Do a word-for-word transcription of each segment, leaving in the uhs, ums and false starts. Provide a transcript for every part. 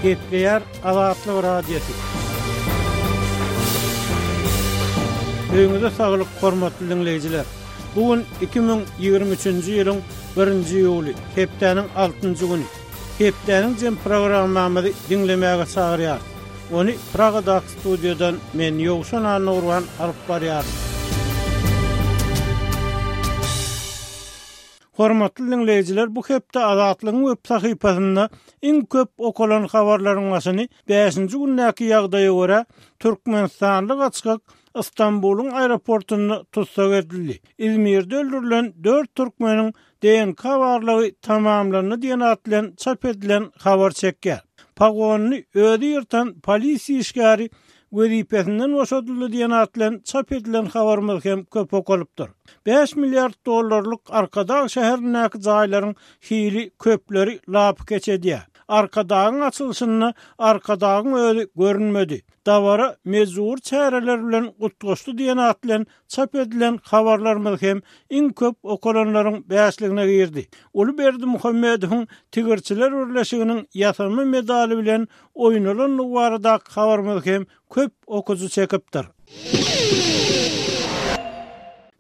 Gepleýär Azatlyk Radiosy. Öýüňize saglyk, hormatly diňleýjiler. Bu gün iki müň ýigrimi üçünji ýylyň birinji iýuly, hepdäniň altynjy güni. Hepdäniň jem programmamyzy diňlemäge çagyrýarys. Ony Pragadaky studiýadan men Ýowşan Annagurban alyp barýaryn. Hormatly diňleýjiler, bu hepde Azatlygyň web sahypasynda iň köp okalan habarlaryň başyny bäşinji gündäki ýagdaýa görä Türkmenistanly gaçgak Istanbulyň aeroportunda tussag edildi. Izmirde öldürilen dört türkmeniň D N K barlagy tamamlandy diýen at bilen çap edilen habar çekýär. Pagonyny özi ýyrtan polisiýa işgäri wezipesinden boşadyldy diýen at bilen çap edilen habarymyz hem köp okalypdyr. Bäş milliard dollarlyk Arkadag şäherindäki jaýlaryň hili köpleri lapy keç edýär. Arkadagyň açylyşynda Arkadagyň özi görünmedi. Dabara mejbur çäreler bilen gutgaşdy diýen at bilen çap edilen habarlarymyz hem iň köp okalanlaryň bäşligine girdi. Uly Berdimuhamedowyň Tigirçiler Birleşiginiň ýasama medaly bilen oýnalandygy baradaky habarymyz hem köp okujy çekipdir.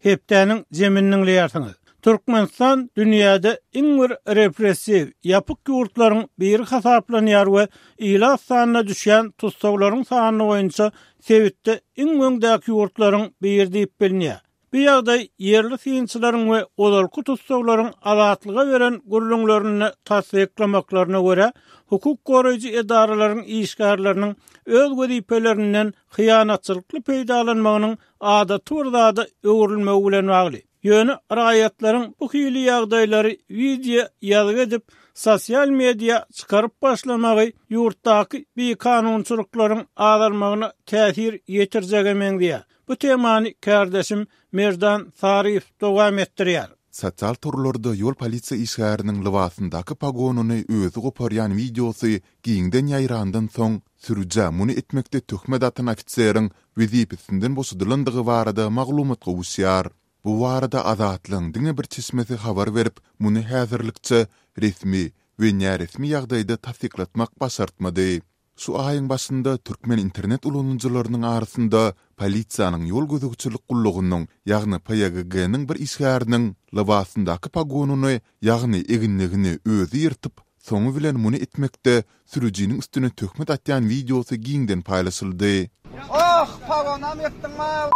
Hepdäniň zeminini diňleýärsiňiz. Türkmenistan dünýäde iň bir repressiw, ýapyk ýurtlaryň biri hasaplanýar we ilat sanyna düşýän tussaglaryň sany boýunça sebitde iň öňdäki ýurtlaryň biri diýip bilinýär. Bu ýagdaý ýerli synçylaryň we ozalky tussaglaryň azatlyga beren gürrüňlerini tassyklamaklaryna görä, hukuk goraýjy edaralaryň işgärleriniň öz wezipelerinden hyýanatçylykly peýdalanmagynyň adaty bir zada öwrülmegi bilen bagly. Ýöne raýatlaryň bu hili ýagdaýlary wideo ýazgy edip, sosial media çykaryp başlamagy ýurtdaky bikanunçylyklaryň azalmagyna täsir ýetirjege meňzeýär. Bu temany kardeşim Merdan Saryýew dowam etdirýär. Sosial torlarda ýol polisiýa işgäriniň lybasyndaky pagonyny özi goparýan wideosy giňden ýaýrandan soň sürüjä muny etmekde töhmet atan ofiseriň wezipesinden boşadylandygy barada maglumat gowuşýar. Bu barada Azatlygyň diňe bir çeşmesi habar berip, muny häzirlikçe resmi we näresmi ýagdaýda tassyklatmak başartmady. Şu aýyň başynda türkmen internet ulanyjylarynyň arasynda polisiýanyň ýol gözegçilik gullugynyň, ýagny P Y G G-niň bir işgäriniň lybasyndaky pagonyny, ýagny eginligini özi ýyrtyp, soňy bilen muny etmekde sürüjiniň üstüne töhmet atýan wideosy giňden paýlaşyldy. Oh, pagonam ýetdiň ma,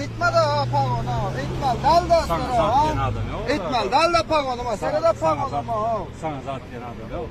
eýtme de, pagona, eýtme, dal da, Sana zat diýen adam ýok. Eýtme, dal da pagonuma, sere de pagonuma, oh. Sana zat diýen adam ýok.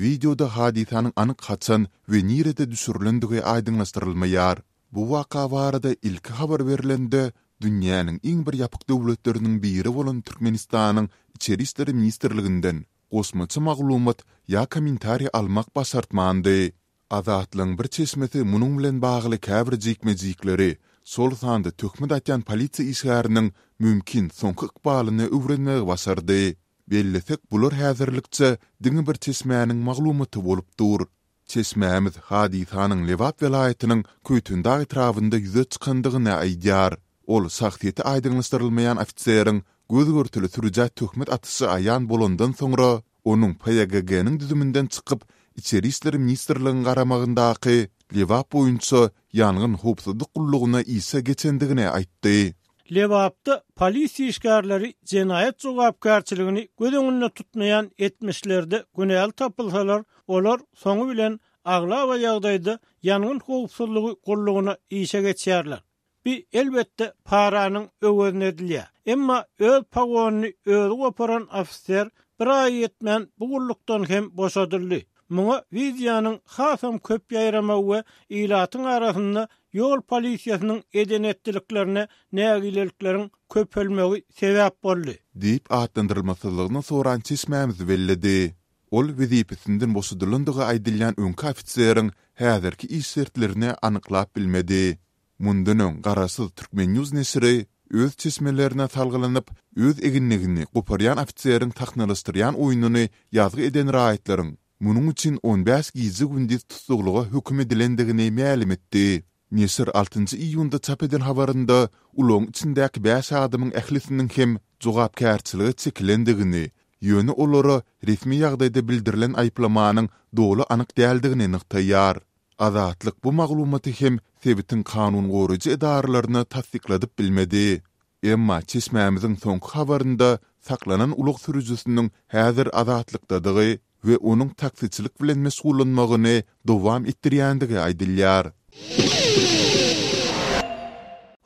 Wideoda hadysanyň anyk haçan we nirede düşürilendigi aýdyňlaşdyrylmaýar. Bu waka barada ilki habar berilende dünýäniň iň bir ýapyk döwletleriniň biri bolan Türkmenistanyň Içeri işler ministrliginden goşmaça maglumat ýa kommentariý almak başartmandy. Azatlygyň bir çeşmesi munuň bilen bagly käbir jikme-jikleri, şol sanda töhmet atýan polisiýa işgäriniň mümkin soňky ykbalyny öwrenmegi başardy. Bellesek, bular häzirlikçe diňe bir çeşmäniň maglumaty bolup dur. Çeşmämiz hadysanyň Lebap welaýatynyň Köýtendag etrabynda ýüze çykandygyny aýdýar. Ol şahsyýeti aýdyňlaşdyrylmaýan ofiseriň göz görtüli sürüjä töhmet atyşy aýan bolandan soňra onuň P Y G G-niň düzüminden çykyp, Içeri işler ministrligiň garamagyndaky Lebap boýunça ýangyn howpsuzlyk gullugyna işe geçendigini aýtdy. Lebapda polisiýa işgärleri jenaýat jogapkärçiligini göz öňünde tutmaýan etmişlerde günäli tapylsalar, olar soňy bilen aglaba ýagdaýda ýangyn howpsuzlygy gullugyna işe geçýärler. Bi elbetde paranyň öwezine edilýär. Emma öz pagonyny özi goparan ofiser bir aý ýetmän bu gullukdan hem boşadyldy. Muňa wideonyň hasam köp ýaýramagy we ilatyň arasynda ýol polisiýasynyň eden etdiliklerine nägilelikleriň köpelmegi sebäp boldy. Diýip atlandyrylmasyzlygyny soran çeşmämiz belledi. Ol wezipesinden boşadylandygy aýdylýan öňki ofiseriň häzirki iş şertlerini anyklap bilmedi. Mundan öň Garaşsyz Türkmen News neşiri öz çeşmelerine salgylanyp, öz eginligini goparýan ofiseriň sahnalaşdyrýan oýnuny ýazgy eden raýatlaryň munuň üçin on bäş gije gündiz tussaglyga höküm edilendigini mälim etdi. Neşir altynjy iýunda çap eden habarynda ulagyň içindäki bäş adamyň ählisiniň hem jogapkärçilige çekilendigini, ýöne olara resmi ýagdaýda bildirilen aýyplamanyň doly anyk däldigini nygtaýar. Azatlyk bu maglumaty hem sebitiň kanun goraýjy edaralaryna tassykladyp bilmedi. Emma çeşmämiziň soňky habarynda saklanan ulag sürüjisiniň häzir azatlykdadygy we onuň taksiçilik bilen meşgullanmagyny dowam etdirýändigi aýdylýar.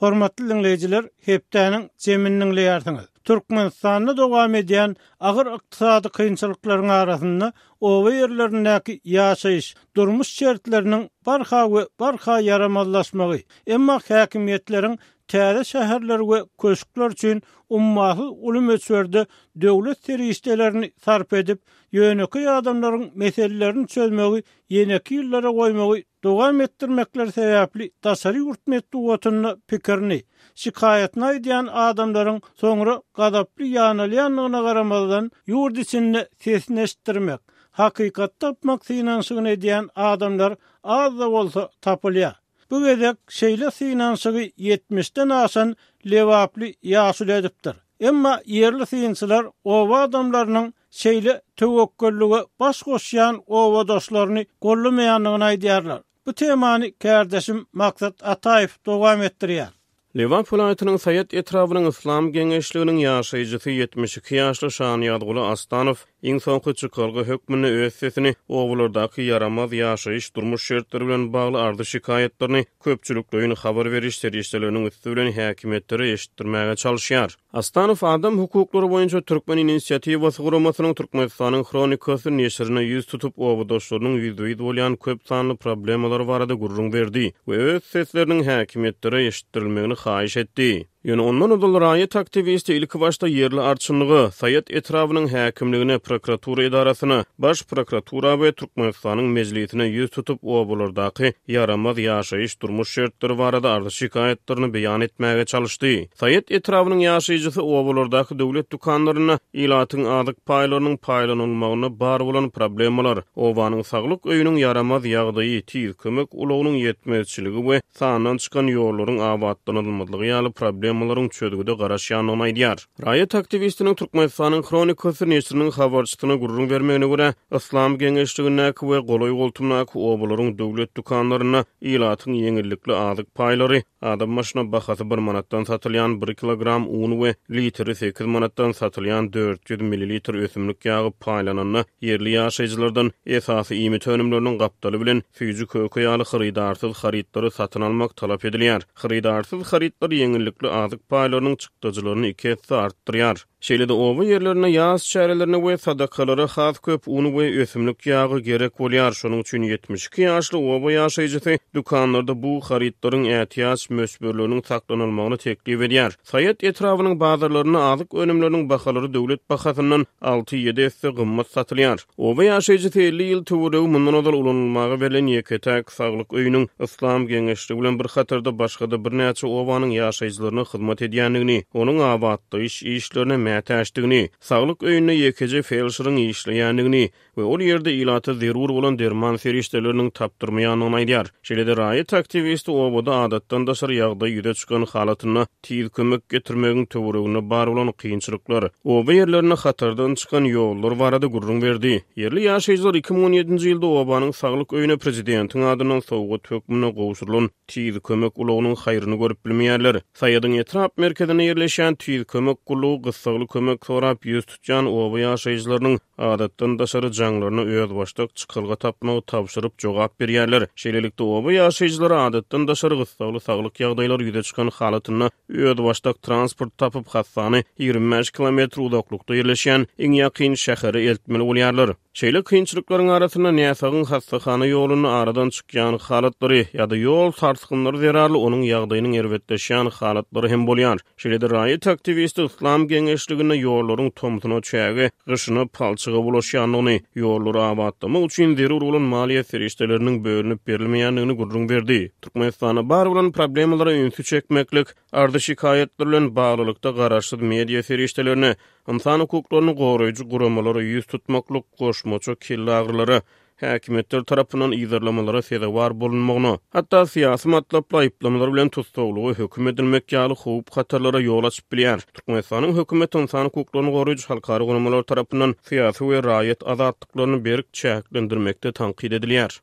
Hormatly dinleýjiler, hepdäniň jemini dinleýärsiňiz. Türkmenistanda dowam edýän agyr ykdysady kynçylyklaryň arasynda oba ýerlerindäki ýaşaýyş, durmuş şertleriniň barha we barha ýaramazlaşmagy, emma häkimiýetleriň täze şäherler we köşkler üçin ummasyz uly möçberde döwlet serişdelerini sarp edip, ýönekeý adamlaryň meselelerini çözmegi ýeneki ýyllara goýmagy dowam etdirmekleri sebäpli daşary ýurt metbugatynda pikirini, şikaýatyny aýdýan adamlaryň soňra gazaply ýanalýandygyna garamazdan ýurt içinde sesini eşitdirmek, hakykat tapmak synanyşygyny edýän adamlar az-da bolsa tapylýar. Bu gezek şeýle synanyşygy ýetmişden aşan Lebaply ýaşuly edipdir. Emma ýerli synçylar oba adamlarynyň şeýle töwekgellige baş goşýan obadaşlaryny gollamaýandygyny aýdýarlar. Bu temany kärdeşim Maksat Ataýew dowam etdirýär. Lebap welaýatynyň Saýat etrabynyň Yslam geňeşliginiň ýaşaýjysy ýetmiş iki ýaşly Şanyýazguly Astanow iň soňky çykalga hökmünde öz sesini obalardaky ýaramaz ýaşaýyş durmuş şertleri bilen bagly arzy şikaýatlaryny köpçülikleýin habar beriş serişdeleriniň üsti bilen häkimiýetlere eşitdirmäge çalyşýar. Astanow adam hukuklary boýunça Türkmen inisiatiwasy guramasynyň Türkmenistanyň Hronikasy neşirine ýüz tutup obadaşlarynyň ýüzbe-ýüz bolýan köp sanly problemalar barada gürrüň berdi we öz sesleriniň häkimiýetlere eşitdirilmegini haýyş etdi. Ýöne ondan ozal raýat aktiwisti ilki başda ýerli arçynlyga, Saýat etrabynyň häkimligine, prokuratura edarasyna, baş prokuratura we Türkmenistanyň mejlisine ýüz tutup obalardaky ýaramaz ýaşaýyş durmuş şertleri barada arzy şikaýatlaryny beýan etmäge çalyşdy. Saýat etrabynyň ýaşaýjysy obalardaky döwlet dükanlarynda ilatyň azyk paýlarynyň paýlanylmagyna bar bolan problemalar, obanyň saglyk öýüniň ýaramaz ýagdaýy, tiz kömek ulagynyň ýetmezçiligi we sandan çykan ýollaryň abatlanylmazlygy ýaly problemalaryň çözgüde garaşýandygyny aýdýar. Raýat aktiwistiniň Türkmenistanyň Hronikasy neşiriniň habarçysyna gürrüň bermegine görä, Yslam geňeşligindäki we golaý goltumdaky obalaryň döwlet dükanlarynda ilatyň ýeňillikli azyk paýlary, adam başyna bahasy bir manatdan satylýan bir kilogram un we litri sekiz manatdan satylýan dört ýüz millilitr ösümlik ýagy paýlananda ýerli ýaşaýjylardan esasy iýmit önümleriniň gapdaly bilen süýji köke ýaly hyrydarsyz harytlary satyn almak talap edilýär. Hyrydarsyz harytlar ýeňillikli azyk paýlarynyň çykdajylaryny iki esse artdyrýar. Şeýle-de oba ýerlerine ýaz çärelerine we sadakalara has köp un we ösümlik ýagy gerek bolýar. Şonuň üçin ýetmiş iki ýaşly oba ýaşaýjysy dükanlarda bu harytlaryň ätiýaç möçberleriniň saklanylmagyny teklip edýär. Saýat etrabynyň bazarlarynda azyk önümleriniň bahalary döwlet bahasyndan alty-ýedi esse gymmat satylýar. Oba ýaşaýjysy elli ýyl töweregi mundan ozal ulanylmaga berlen ýeke-täk saglyk öýüniň Yslam geňeşligi bilen bir hatarda başga-da birnäçe obanyň ýaşaýjylaryna hyzmat edýändigini, onuň abatlaýyş işlerine mätäçdigini, saglyk öýünde ýekeje felşeriň işleýändigini we ol ýerde ilata zerur bolan derman serişdeleriniň tapdyrmaýandygyny aýdýar. Şeýle-de raýat aktiwisti obada adatdan daşary ýagdaý ýüze çykan halatynda tiz kömek getirmegiň töwereginde bar bolan kynçylyklar, oba ýerlerinde hatardan çykan ýollar barada gürrüň berdi. Ýerli ýaşaýjylar iki müň on ýedinji ýylda obanyň saglyk öýüne prezidentiň adyndan sowgat hökmünde gowşurylan tiz kömek ulagynyň haýryny görüp bilmeýärler. Saýadyň etrap merkezinde ýerleşýän tiz kömek gullugy gyssagly kömek sorap ýüz tutýan oba ýaşaýjylarynyň adatdan daşary jaňlaryna özbaşdak çykalga tapmagy tabşyryp jogap berýärler. Şeýlelikde oba ýaşaýjylary adatdan daşary gyssagly saglyk ýagdaýlary ýüze çykan halatynda özbaşdak transport tapyp hassany ýigrimi bäş kilometr uzaklykda ýerleşýän iň ýakyn şähere eltmeli bolýarlar. Şeýle kynçylyklaryň arasynda näsagyň hassahana ýolunda aradan çykýan halatlary ýa-da ýol sarsgynlary zerarly onuň ýagdaýynyň erbetleşýän halatlary hem bolýar. Şeýle-de raýat aktiwisti Yslam geňeşliginde ýollaryň tomsuna çäge, gyşyna palçyga bulaşýandygyny, ýollary abatlamak üçin zerur bolan maliýe serişdeleriniň bölünip berilmeýändigini gürrüň berdi. Türkmenistanda bar bolan problemalara ünsi çekmeklik, arzy şikaýatlar bilen baglylykda garaşsyz media serişdelerine, ynsan hukuklaryny goraýjy guramalara ýüz tutmaklyk, goşmaça kelle agyrylara häkimiýetler tarapyndan yzarlamalara sezewar bolunmagyna, hatda syýasy matlaply aýyplamalar bilen tussaglyga höküm edilmek ýaly howp hatarlara ýol açyp bilýär. Türkmenistanyň hökümeti ynsan hukuklaryny goraýjy halkara guramalar tarapyndan syýasy we raýat azatlyklaryny berk çäklendirmekde tankyt edilýär.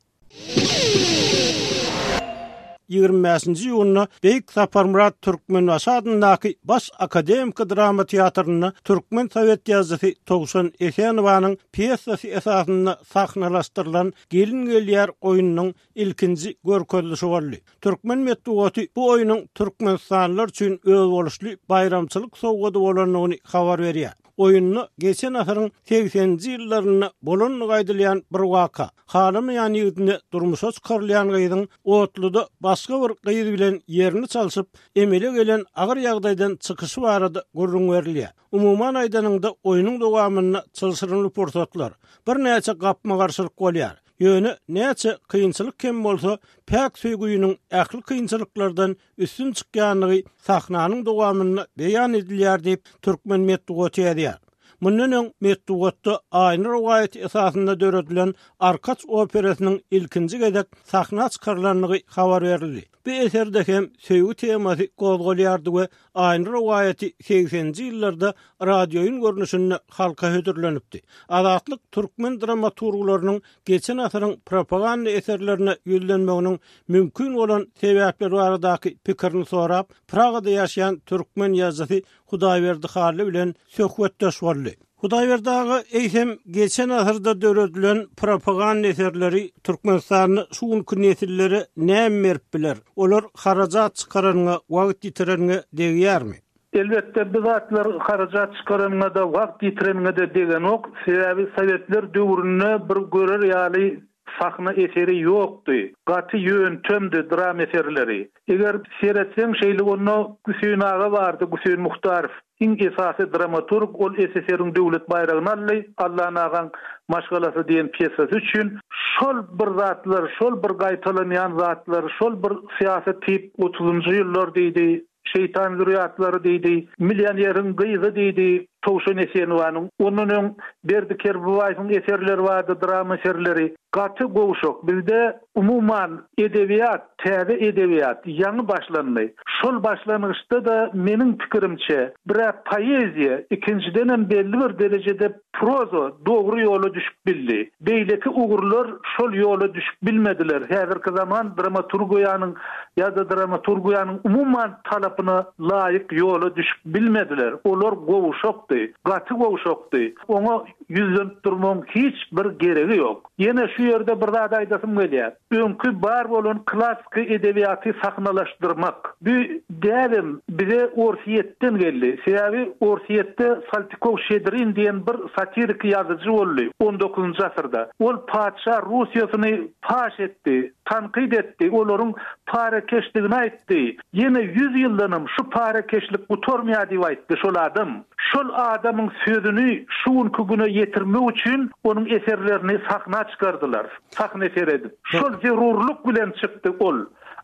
Ýigrimi bäşinji iýunda Beýik Saparmyrat Türkmenbaşy adyndaky Baş akademiki drama teatrynda türkmen sowet ýazyjysy Towşan Esenowanyň pýesasy esasynda sahnalaşdyrylan Gelin gelýär oýnunyň ilkinji görkezilişi boldy. Türkmen metbugaty bu oýnuň türkmenistanlylar üçin özboluşly baýramçylyk sowgady bolandygyny habar berýär. Oýunda geçen asyryň segseninji ýyllarynda bolandygy aýdylýan bir waka, halamaýan ýigidine durmuşa çykarylýan gyzyň otluda başga bir gyz bilen ýerini çalşyp, emele gelen agyr ýagdaýdan çykyşy barada gürrüň berilýär. Umuman aýdanyňda oýnuň dowamynda çylşyrymly pursatlar, birnäçe gapma-garşylyk bolýar. Ýöne näçe kynçylyk hem bolsa, päk söýgüniň ähli kynçylyklardan üstün çykýandygy sahnanyň dowamynda beýan edilýär diýip, türkmen metbugaty ýazýar. Mundan öň metbugatda Aýna rowaýaty esasynda döredilen Arkaç operasynyň ilkinji gezek sahna çykarylandygy habar berildi. Bu eserde hem söýgi temasy gozgalýardy we Aýna rowaýaty segseninji ýyllarda radioýun görnüşinde halka hödürlenipdi. Azatlyk türkmen dramaturglarynyň geçen asyryň propaganda eserlerine ýüzlenmeginiň mümkin bolan sebäpleri baradaky pikirini sorap, Pragada ýaşaýan türkmen ýazyjysy Hudaýberdi Hally bilen söhbetdeş boldy. Hudaýberdi aga, eýsem geçen asyrda döredilen propaganda eserleri Türkmenistanda şu günki nesillere näme berip biler? Olar harajat çykaranyňa, wagt ýitireniňe degýärmi? Elbetde bu zatlar harajat çykaranyňa-da, wagt ýitireniňe-de degenok. Sebäbi sowetler döwründe bir görer ýaly sahna eseri ýokdy. Gaty ýöntemdi dram eserleri. Eger seretseň şeýle onda Güseýin aga bardy, Güseýin Muhtarow. Iň esasy dramaturg, ol S S R-iň döwlet baýragyny aldy, Allan agaň maşgalasy diýen pýesasy üçin. Şol bir zatlar, şol bir gaýtalanýan zatlar, şol bir syýasy tip otuzynjy ýyllar diýdi, şeýtan zürýatlary diýdi, millioneriň gyzy diýdi, Towşan Esenowanyň. Ondan öň Berdi Kerbabaýewiň eserleri bardy, drama eserleri. Gaty gowşak. Bizde umuman edebiýat, täze edebiýat ýaňy başlandy. Şol başlangyçda-da meniň pikirimçe, bir-ä poeziýa, ikinjidenem belli bir derejede proza dogry ýola düşüp bildi. Beýleki ugurlar şol ýola düşüp bilmediler. Häzirki zaman dramaturgiýanyň ýa-da dramaturgiýanyň umuman talapyna laýyk ýola düşüp bilmediler. Olar gowşakdy, gaty gowşakdy. Oňa ýüzlenip durmagyň hiç bir geregi ýok. Ýene şu ýerde bir zat aýdasym gelýär. Öňki bar bolan klassyky edebiýaty sahnalaşdyrmak. Bu däbem bize Orsýetden geldi. Sebäbi Orsýetde Saltykov-Şedrin diýen bir satiriki ýazyjy boldy on dokuzynjy asyrda. Ol patyşa Russiýasyny paş etdi, tankyt etdi, olaryň parakeşligini aýtdy. Ýene ýüz ýyldanam şu parakeşlik gutarmaýar diýip aýtdy şol adam. Şol adamyň sözüni şu günki güne ýetirmek üçin onuň eserlerini sahna çykardylar, sahna eser edip. Şol zerurlyk bilen çykdy ol.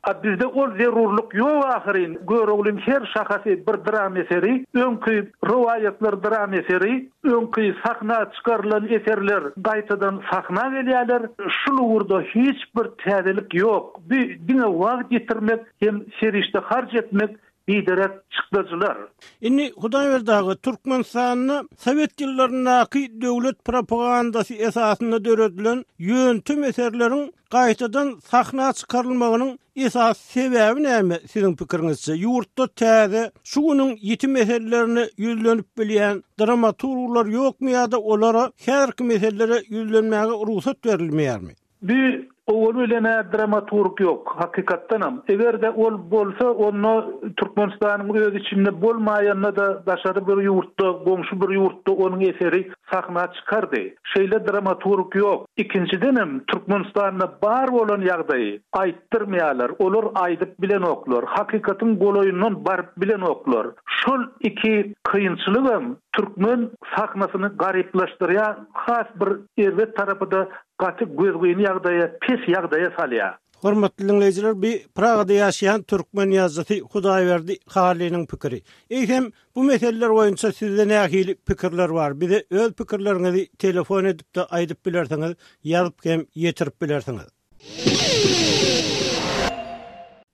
A bizde ol zerurlyk ýok ahyryn. Göroglyň her şahasy bir dram eseri, öňki rowaýatlar dram eseri, öňki sahna çykarylan eserler gaýtadan sahna gelýärler. Şul ugurda hiç bir täzelik ýok. Bu diňe wagt ýitirmek hem serişde harç etmek, biderek çykdajylar. Indi Hudaýberdi aga, Türkmenistanda sowet ýyllaryndaky döwlet propagandasy esasynda döredilen ýöntem eserleriň gaýtadan sahna çykarylmagynyň esasy sebäbi näme siziň pikiriňizçe? Ýurtda täze şu günüň ýiti meselelerine ýüzlenip bilýän dramaturglar ýokmy ýa-da olara häzirki meselelere ýüzlenmäge rugsat berilmeýärmi? Bu owal bilen-ä dramaturg ýok, hakykatdanam. Eger-de ol bolsa, onda Türkmenistanyň öz içinde bolmaýanda-da daşary bir ýurtda, goňşy bir ýurtda onuň eseri sahna çykardy. Şeýle dramaturg ýok. Ikinjidenem Türkmenistanda bar bolan ýagdaýy aýtdyrmaýarlar. Olar aýdyp bilenoklar. Hakykatyň golaýyndan baryp bilenoklar. Şol iki kynçylygam türkmen sahnasyny garyplaşdyrýar, has bir erbet tarapy-da gaty gözgyny ýagdaýa, pes ýagdaýa salýar. Hormatly diňleýjiler, bi Pragada ýaşaýan türkmen ýazyjysy Hudaýberdi Hallynyň pikiri. Eýsem, bu meseleler boýunça sizde nähili pikirler bar? Bize öz pikirleriňizi telefon edip-de aýdyp bilersiňiz, ýazyp hem ýetirip bilersiňiz.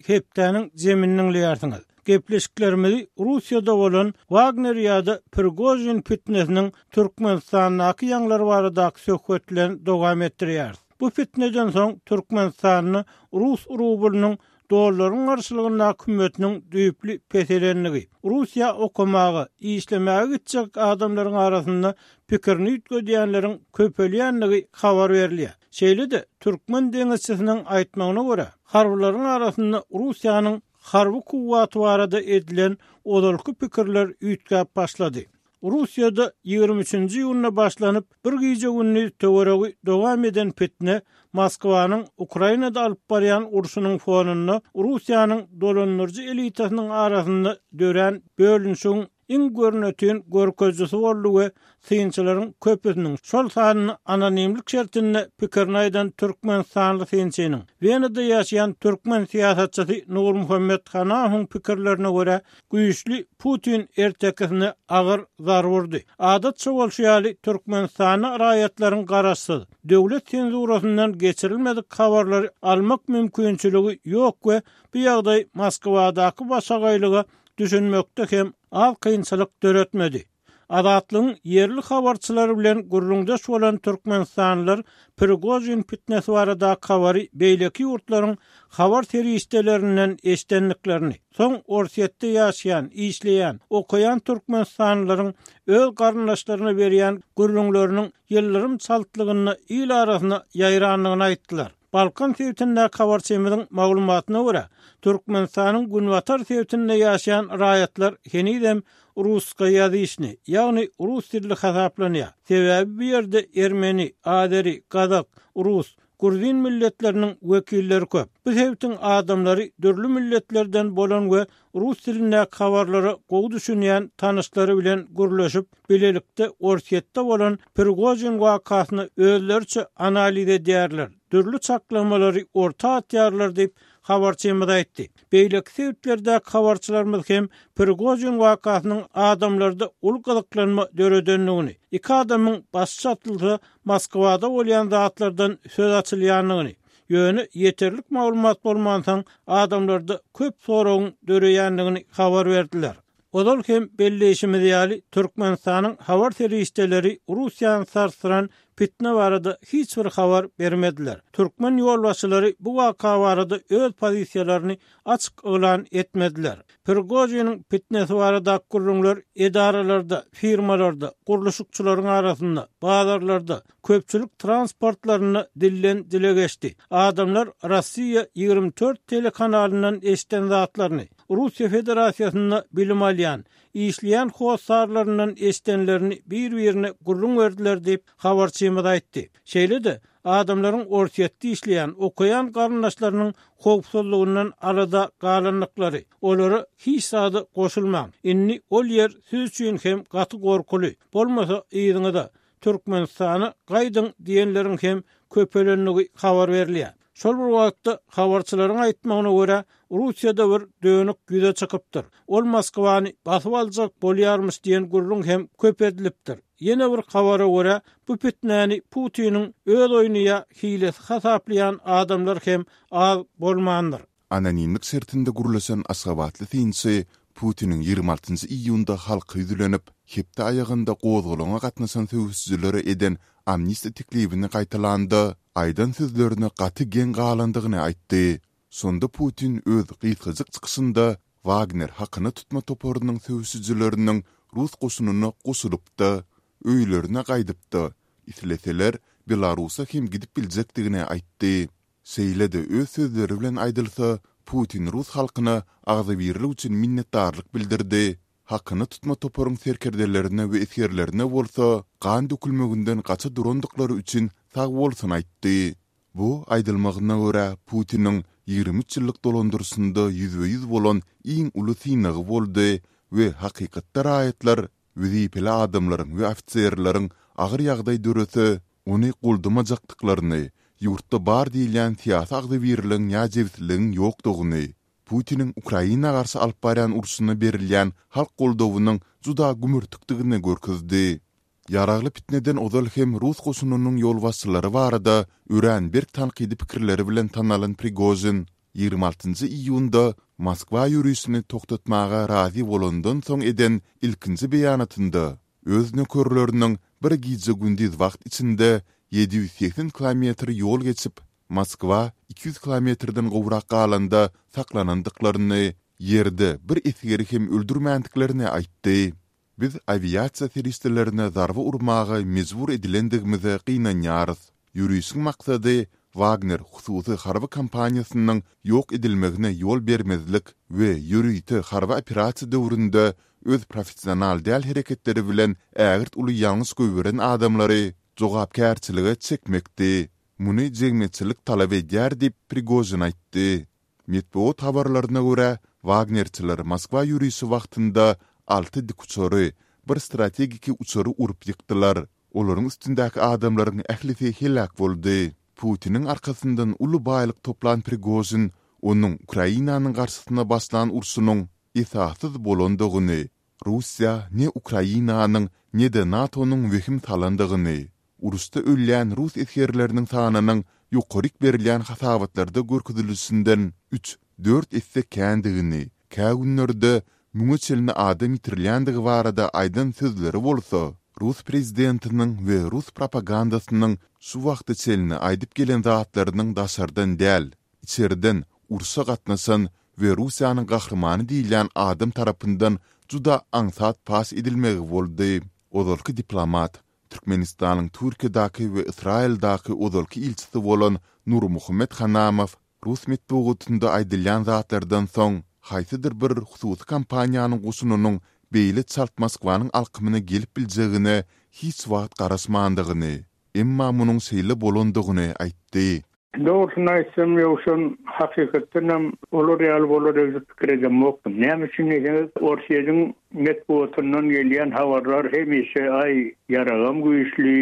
Hepdäniň zemini diňleýärsiňiz. Gepleşiklerimizi Russiýada bolan Wagner ýa-da Prigožin fitnesiniň Türkmenistandaky ýaňlary baradaky söhbet bilen dowam etdirýäris. Bu fitneden soň Türkmenistanda rus rublynyň dollaryň garşylygyndaky hümmetiniň düýpli peselendigi, Russiýa okamaga, işlemäge gitjek adamlaryň arasynda pikirini üýtgedýänleriň köpelýändigi habar berilýär. Şeýle-de türkmen deňizçisiniň aýtmagyna görä, harbylaryň arasynda Russiýanyň harby kuwwaty barada edilen ozalky pikirler üýtgäp başlady. Russiýada ýigrimi üçünji iýunda başlanyp, bir gije-gündiz töweregi dowam eden pitne Moskwanyň Ukrainada alyp barýan urşunyň fonunda Russiýanyň dolandyryjy elitasynyň arasynda dörän bölünişigiň iň görnetin görkezijisi boldy we synçylaryň köpüsiniň, şol sanda anonimlik şertinde pikirini aýdan türkmenistanly synçynyň, Wenada ýaşaýan türkmen syýasatçysy Nurmuhammet Hanahowyň pikirlerine görä, güýçli Putin ertekisine agyr zarba urdy. Adatça bolşy ýaly, Türkmenistanda raýatlaryň garaşsyz, döwlet senzurasyndan geçirilmedik habarlary almak mümkinçiligi ýok we bu ýagdaý Moskwadaky başagaýlyga düşünmekde hem az kynçylyk döretmedi. Azatlygyň ýerli habarçylary bilen gürrüňdeş bolan türkmenistanlylar Prigožin pitnesi baradaky habary beýleki ýurtlaryň habar serişdelerinden eşidendiklerini, soň Orsýetde ýaşaýan, işleýän, okaýan türkmenistanlylaryň öz garyndaşlaryna berýän gürrüňleriniň ýyldyrym çaltlygynda il arasyna ýaýrandygyny aýtdylar. Balkan sebitindäki habarçymyzyň maglumatyna görä, Türkmenistanyň günbatar sebitinde ýaşaýan raýatlar henizem ruskaýazyçny, ýagny rus dilli hasaplanýar. Sebäbi bu ýerde ermeni, azeri, gazak, rus, gruzin milletleriniň wekilleri köp. Bu sebitiň adamlary dürli milletlerden bolan we rus dilindäki habarlara gowy düşünýän tanyşlary bilen gürleşip, bilelikde Orsýetde bolan Prigožin wakasyny özleriçe analiz edýärler, dürli çaklamalary orta atýarlar diýip, habarçymyz aýtdy. Beýleki sebitlerdäki habarçylarymyz hem Prigožin wakasynyň adamlarda uly gyzyklanma döredendigini, iki adamyň başy çatylsa Moskwada bolýan zatlardan söz açylýandygyny, ýöne ýeterlik maglumat bolmansoň adamlarda köp soragyň döreýändigini habar berdiler. Ozal hem belleýşimiz ýaly, Türkmenistanyň habar serişdeleri Russiýany sarsdyran pitne barada hiç bir habar bermediler. Türkmen ýolbaşçylary bu waka barada öz pozisiýalaryny açyk yglan etmediler. Prigožiniň pitnesi baradaky gürrüňler edaralarda, firmalarda, gurluşykçylaryň arasynda, bazarlarda, köpçülik transportlarynda dilden dile geçdi. Adamlar Rossiýa ýigrimi dört telekanalyndan eşiden zatlaryny, Russiýa Federasiýasynda bilim alýan, işleýän hossarlaryndan eşidenlerini bir-birine gürrüň berdiler diýip, habarçymyz aýtdy. Şeýle-de, adamlaryň Orsýetde işleýän, okaýan garyndaşlarynyň howpsuzlygyndan alada galandyklary, olara hiç zada goşulmaň, indi ol ýer siz üçin hem gaty gorkuly, bolmasa yzyňyza, Türkmenistana gaýdyň diýenleriň hem köpelendigi habar berilýär. Şol bir wagtda habarçylaryň aýtmagyna görä, Russiýada bir dönük ýüze çykypdyr. Ol Moskwany basyp aljak bolýarmyş diýen gürrüň hem köp edilipdir. Ýene bir habara görä, bu pitnäni Putiniň öz oýny ýa hilesi hasaplaýan adamlar hem az bolmandyr. Anonimlik şertinde gürleşen aşgabatly synçy Putiniň ýigrimi altynjy iýunda halka ýüzlenip, hepde aýagynda gozgalaňa gatnaşan söweşijilere eden amnistiýa teklibini gaýtalanda, aýdan sözlerine gaty geň galandygyny aýtdy. Şonda Putin öz gysgajyk çykyşynda Wagner hakyna tutma toparynyň söweşijileriniň rus goşunyna goşulyp-da, öýlerine gaýdyp-da, isleseler Belarusa hem gidip biljekdigini aýtdy. Şeýle-de öz sözleri bilen aýdylsa, Putin rus halkyna agzybirlik üçin minnetdarlyk bildirdi, hakyna tutma toparyň serkerdelerine we esgerlerine bolsa gan dökülmeginden gaça durandyklary üçin sagbolsun aýtdy. Bu, aýdylmagyna görä, Putiniň ýigrimi üç ýyllyk dolandyryşynda ýüzbe-ýüz bolan iň uly synagy boldy we hakykatda raýatlar wezipeli adamlaryň we ofiserleriň agyr ýagdaý dörese, ony goldamajakdyklaryny, ýurtda bar diýilýän syýasy agzybirligiň ýa jebisligiň ýokdugyny, Putiniň Ukraina garşy alyp barýan urşuna berilýän halk goldawynyň juda gümürtikdigini görkezdi. Ýaragly pitneden ozal hem rus goşunynyň ýolbaşçylary barada örän berk tankydy pikirleri bilen tanalan Prigožin ýigrimi altynjy iýunda Moskwa ýörişini togtatmaga razy bolandan soň eden ilkinji beýanatynda öz nökerleriniň bir gije-gündiz wagt içinde ýedi ýüz segsen kilometr ýol geçip, Moskwa iki ýüz kilometrden gowrak galanda saklanandyklaryny, ýerde bir esgeri hem öldürmändiklerini aýtdy. Biz awiasiýa serişdelerine zarba urmaga mejbur edilendigimize gynanýarys. Ýörişiň maksady Wagner hususy harby kompaniýasynyň ýok edilmegine ýol bermezlik we ýörite harby operasiýa döwründe öz professional däl hereketleri bilen ägirt uly ýalňyş goýberen adamlary jogapkärçilige çekmekdi. Muny jemgyýetçilik talap edýär diýip, Prigožin aýtdy. Metbugat habarlaryna görä, wagnerçiler Moskwa ýörişi wagtynda alty dikuçary, bir strategiki uçary urup ýykdylar. Olaryň üstündäki adamlaryň ählisi heläk boldy. Putiniň arkasyndan uly baýlyk toplan Prigožin onuň Ukrainanyň garşysyna başlan urşunyň esassyz bolandygyny, Russiýa ne Ukrainanyň, ne-de NATO-nyň wehim salandygyny, uruşda ölýän rus esgerleriniň sanynyň ýokaryk berilýän hasabatlarda görkezilişinden üç, dört esse kändigini, kä günlerde müňe çenli adam ýitirilýändigi barada aýdan sözleri bolsa, rus prezidentiniň we rus propagandasynyň şu wagta çenli aýdyp gelen zatlarynyň daşardan däl, içerden urşa gatnaşan we Russiýanyň gahrymany diýilýän adam tarapyndan juda aňsat paş edilmegi boldy. Ozalky diplomat, Türkmenistanyň Türkiýedäki we Ysraýyldaky ozalky ilçisi bolan Nurmuhammet Hanamow rus metbugatynda aýdylýan zatlardan soň, haýsydyr bir hususy kompaniýanyň goşunynyň beýle çalt Moskwanyň alkymyna gelip biljegine hiç wagt garaşmandygyny, emma munuň şeýle bolandygyny aýtdy. Dogrusyny aýtsam, Ýowşan, hakykatdanam olar ýaly bolar öýdüp pikir edemokdym. Näme üçin diýseňiz, Orsýetiň metbugatyndan gelýän habarlar hemişe aý, ýaragam güýçli,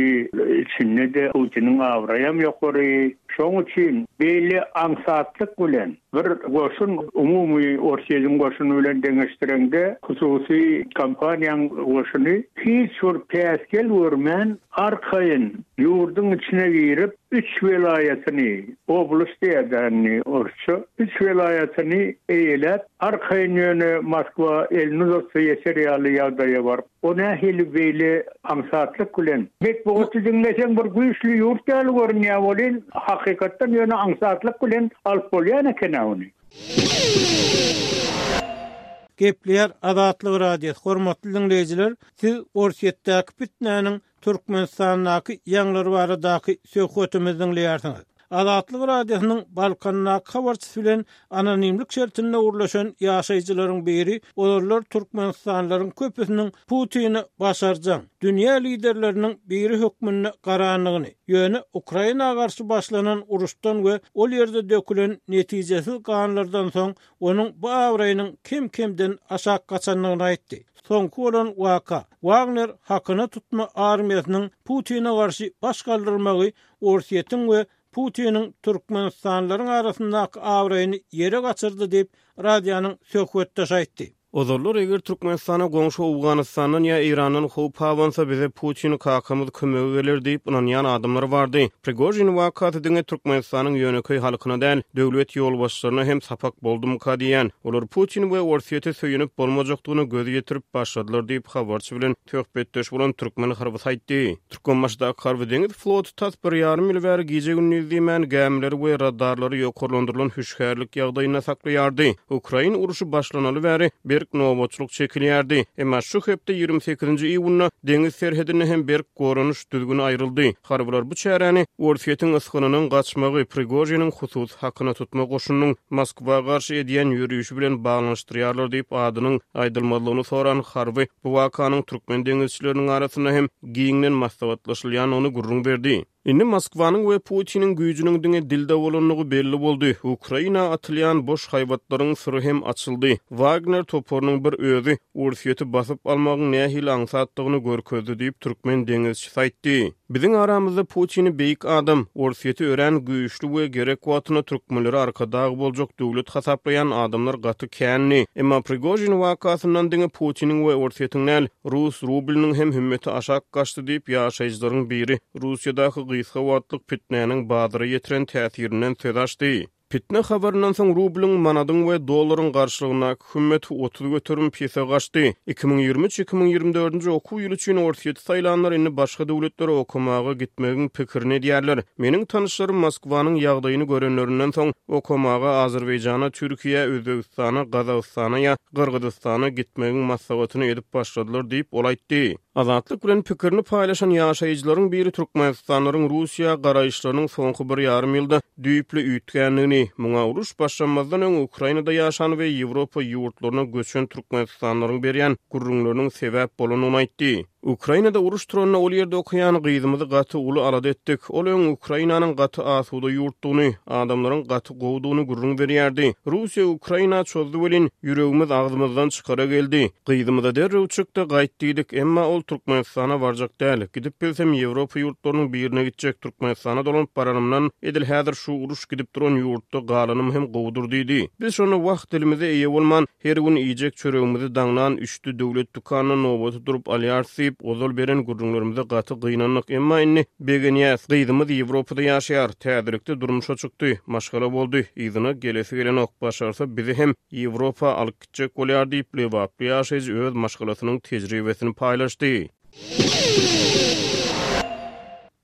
içinde-de Putiniň abraýam ýokary. Şoň üçin beýle aňsatlyk bilen bir goşun umumy Orsýetiň goşuny bilen deňeşdireňde hususy kompaniýaň goşuny hiç bir päsgel görmän arkaýyn ýurduň içine girip üç welaýatyny, oblast diýýär indi orsça, üç welaýatyny eýeläp arkaýyn ýöne Moskwa elini uzatsa ýeter ýaly ýagdaýa baryp, o nähili beýle aňsatlyk bilen metbugaty diňleseň bir güýçli ýurt ýaly görünýär welin, hakykatdan ýöne aňsatlyk bilen alyp bolýan eken-ä ony. Gepleýär Azatlyk Radiosy. Hormatly diňleýjiler, siz Orsýetdäki pitnäniň Türkmenistandaky ýaňlary baradaky söhbetimizi diňleýärsiňiz. Azatlyk Radiosynyň Balkandaky habarçysy bilen anonimlik şertinde gürleşen ýaşaýjylaryň biri ozallar türkmenistanlylaryň köpüsiniň Putini başarjaň, dünýä liderleriniň biri hökmünde garandygyny, ýöne Ukraina garşy başlanan uruşdan we ol ýerde dökülen netijesiz ganlardan soň onuň bu abraýynyň kem-kemden aşak gaçandygyny aýtdy. Soňky bolan waka, Wagner hakyna tutma armiýasynyň Putine garşy baş galdyrmagy Orsýetiň we Putiniň türkmenistanlylaryň arasyndaky abraýyny ýere gaçyrdy diýip, radionyň söhbetdeşi aýtdy. Ozallar eger Türkmenistana goňşy Owganystandan ýa Eýrandan howp abansa, bize Putin kakamyz kömege geler diýip ynanýan adamlar bardy. Prigožin wakasy diňe Türkmenistanyň ýönekeý halkyna däl, döwlet ýolbaşçylaryna hem sapak boldumyka diýýän. Olar Putin we Orsýete söýenip bolmajakdygyna göz ýetirip başladylar diýip, habarçy bilen söhbetdeş bolan türkmen harbysy aýtdy. Türkmenbaşydaky harby-deňiz floty tas bir ýarym ýyl bäri gije-gündiz diýmän gämileri we radarlary ýokarlandyrylan hüşgärlik ýagdaýynda saklaýardy. Ukrain urşy başlanaly bäri berk nobatçylyk çekilýärdi. Emma şu hepde ýigrimi sekizinji iýunda deňiz serhedinde hem berk goranyş düzgüni aýryldy. Harbylar bu çäräni Orsýetiň ysgynynyň gaçmagy, Prigožiniň hususy hakyna tutma goşunynyň Moskwa garşy edýän ýörişi bilen baglanyşdyrýarlar diýip, adynyň aýdylmazlygyny soran harby bu wakanyň türkmen deňizçileriniň arasynda hem giňden maslahatlaşylýandygyny gürrüň berdi. Indi Moskwanyň we Putiniň güýjüniň diňe dilde bolandygy belli boldy. Ukraina atylýan boş haýbatlaryň syry hem açyldy. Wagner toparynyň bir özi Orsýeti basyp almagyň nähili aňsatdygyny görkezdi diýip, türkmen deňizçisi aýtdy. Biziň aramyzda Putini beýik adam, Orsýeti örän güýçli we gerek wagtynda türkmenlere arkadag boljak döwlet hasaplaýan adamlar gaty kändi. Emma Prigožin wakasyndan diňe Putiniň we Orsýetiň däl, rus rublynyň hem hümmeti aşak gaçdy diýip, ýaşaýjylaryň biri Russiýadaky gysga wagtlyk pitnäniň bazara ýetiren täsirinden söz açdy. Pitne habaryndan soň rublyň, manadyň we dollaryň garşylygyndaky hümmeti otuz göterim pese gaçdy. Iki müň ýigrimi üç, iki müň ýigrimi dördünji okuw ýyly üçin Orsýeti saýlanlar indi başga döwletlere okamaga gitmegiň pikirini edýärler. Meniň tanyşlarym Moskwanyň ýagdaýyny görenlerinden soň okamaga Azerbaýjana, Türkiýä, Özbegistana, Gazagystana ýa Gyrgyzystana gitmegiň maslahatyny edip başladylar diýip, ol aýtdy. Azatlyk bilen pikirini paýlaşan ýaşaýjylaryň biri Türkmenistanlylaryň Russiýa garaýyşlarynyň soňky bir ýarym ýylda düýpli üýtgändigini, muňa uruş başlanmazdan öň Ukrainada ýaşan we Ýewropa ýurtlaryna göçen türkmenistanlylaryň berýän gürrüňleriniň sebäp bolandygyny aýtdy. Ukrainada uruş turanda ol ýerde okaýan gyzymyzy gaty uly alada etdik. Ol öň Ukrainanyň gaty asuda ýurtdugyny, adamlaryň gaty gowudygyny gürrüň berýärdi. Russiýa Ukraina çozdy welin, ýüregimiz agzymyzdan çykara geldi. Gyzymyza derrew çykdy, gaýt diýdik, emma ol Türkmenistana barjak däl. Gidip bilsem Ýewropa ýurtlarynyň birine gitjek, Türkmenistana dolanyp baranymdan edil häzir şu uruş gidip duran ýurtda galanym hem gowudyr diýdi. Biz şonda wah dilimize eýe bolman, her gün iýjek çöregimizi daňdan üçde döwlet dükanyna nobata durup alýarys diýip, ozal beren gürrüňlerimize gaty gynandyk. Emma indi begenýäs. Gyzymyz Ýewropada ýaşaýar, täzelikde durmuşa çykdy, maşgala boldy, yzyna gelesi gelenok, başarsa bizi hem Ýewropa alyp gitjek bolýar diýip, lebaply ýaşaýjy öz maşgalasynyň tejribesini paýlaşdy.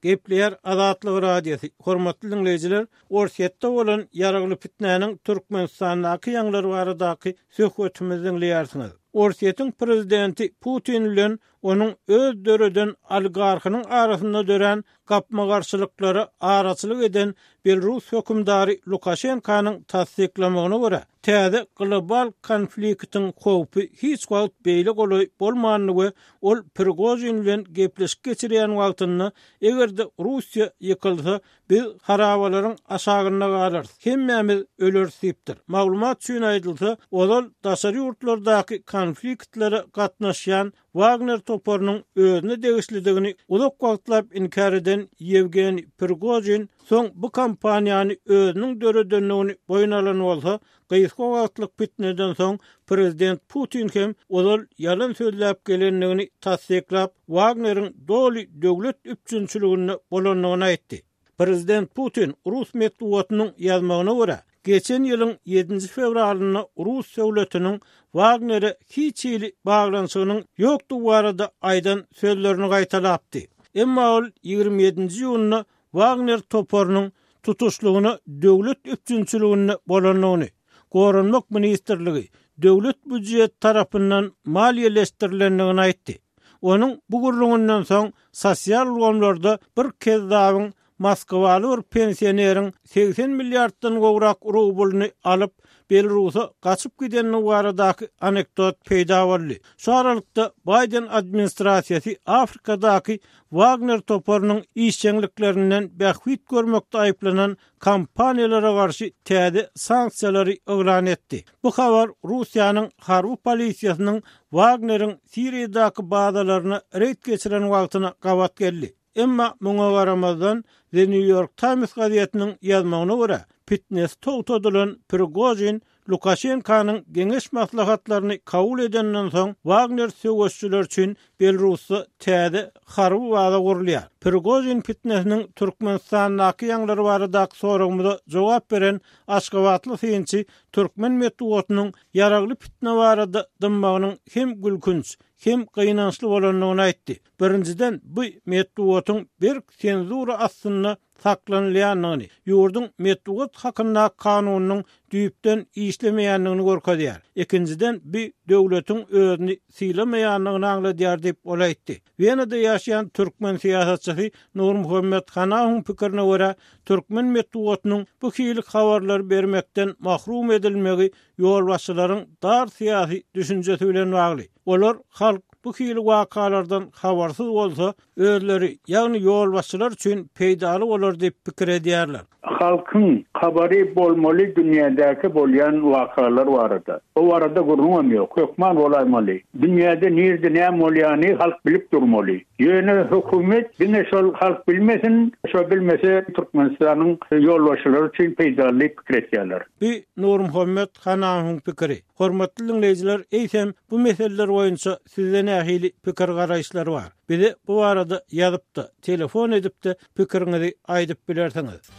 Gepleýär Azatlyk Radiosy. Hormatly diňleýjiler, Orsýetde bolan ýaragly pitnäniň Türkmenistandaky ýaňlary baradaky söhbetimizi diňleýärsiňiz. Orsýetiň prezidenti Putin bilen onuň öz döreden oligarhynyň arasynda dörän gapma-garşylyklara araçylyk eden Belarus hökümdary Lukaşenkanyň tassyklamagyna görä, täze global konfliktiň howpy hiç wagt beýle golaý bolmandy we ol Prigožin bilen gepleşik geçirýän wagtynda, eger-de Russiýa ýykylsa, biz harabalaryň aşagynda galarys, hemmämiz öleris diýipdir. Maglumat üçin aýdylsa, ozal daşary ýurtlardaky konfliktlere gatnaşýan Wagner toparynyň özüne degişlidigini uzak wagtlap inkär eden Ýewgeniý Prigožin soň bu kompaniýany özüniň döredendigini boýun alan bolsa, gysga wagtlyk pitneden soň prezident Putin hem ozal ýalan sözläp gelendigini tassyklap, Wagneriň doly döwlet üpjünçiliginde bolandygyny aýtdy. Prezident Putin rus metbugatynyň ýazmagyna görä, geçen ýylyň ýedinji fewralynda rus döwletiniň Wagnere hiç hili baglanyşygynyň ýokdugy barada aýdan sözlerini gaýtalapdy. Emma ol ýigrimi ýedinji iýunda Wagner toparynyň tutuşlygyna döwlet üpjünçiliginde bolandygyny, Goranmak ministrligi, döwlet býujeti tarapyndan maliýeleşdirilendigini aýtdy. Onuň bu gürrüňinden soň sosial ulgamlarda bir kezzabyň Moskwaly bir pensioneriň segsen milliarddan gowrak rublyny alyp, Belarusa gaçyp gidenligi baradaky anekdot peýda boldy. Şu aralykda Baýden administrasiýasy Afrikadaky Wagner toparynyň işjeňliklerinden bähbit görmekde aýyplanan kompaniýalara garşy täze sanksiýalary yglan etdi. Bu habar Russiýanyň harby polisiýasynyň Wagneriň Siriýadaky bazalaryna reýd geçiren wagtyna gabat geldi. Emma muňa garamazdan, The New York Times gazetiniň ýazmagyna görä, pitnesi togtadylan Prigožin Lukaşenkanyň geňeş maslahatlaryny kabul edenden soň, Wagner söweşçileri üçin Belarusda täze harby baza gurulýar. Prigožin pitnesiniň Türkmenistandaky ýaňlary baradaky soragymyza jogap beren aşgabatly synçy türkmen metbugatynyň ýaragly pitne barada dymmagynyň hem gülkünç, hem gynançly bolandygyny aýtdy. Birinjiden, bu metbugatyň berk senzura astynda saklanylýandygyny, ýurduň metbugat hakyndaky kanunynyň düýpden işlemeýändigini görkezýär. Ikinjiden, bu döwletiň özüni sylamaýandygyny aňladýar diýip, ol aýtdy. Wenada ýaşaýan türkmen syýasatçysy Nurmuhammet Hanawyň pikirine görä, türkmen metbugatynyň bu hili habarlary bermekden mahrum edilmegi ýolbaşçylaryň dar syýasy düşünjesi bilen bagly. Olar halk bu hili wakalardan habarsyz bolsa, özleri, ýagny ýolbaşçylar üçin peýdaly bolar diýip pikir edýärler. Halkyň habary bolmaly dünýädäki bolýan wakalar barada. O barada gürrüňem ýok, hökman bolaýmaly. Dünýäde nirde näme bolýany halk bilip durmaly. Ýöne hökümet diňe şol halk bilmesin, şo bilmese Türkmenistanyň ýolbaşçylary üçin peýdaly diýip pikir etýärler. Bu Nurmuhammet Hanamowyň pikiri. Hormatly diňleýjiler, eýsem bu meseleler boýunça sizde nähili pikir garaýyşlar bar? Bize bu barada ýazyp-da, telefon edip-de pikiriňizi aýdyp bilersiňiz.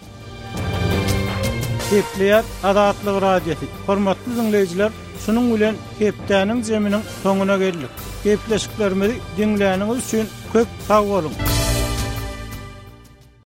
Gepleýär Azatlyk Radiosy. Hormatly diňleýjiler, şunuň bilen hepdäniň zeminiň soňuna geldik. Gepleşiklerimizi diňläniňiz üçin köp sag boluň.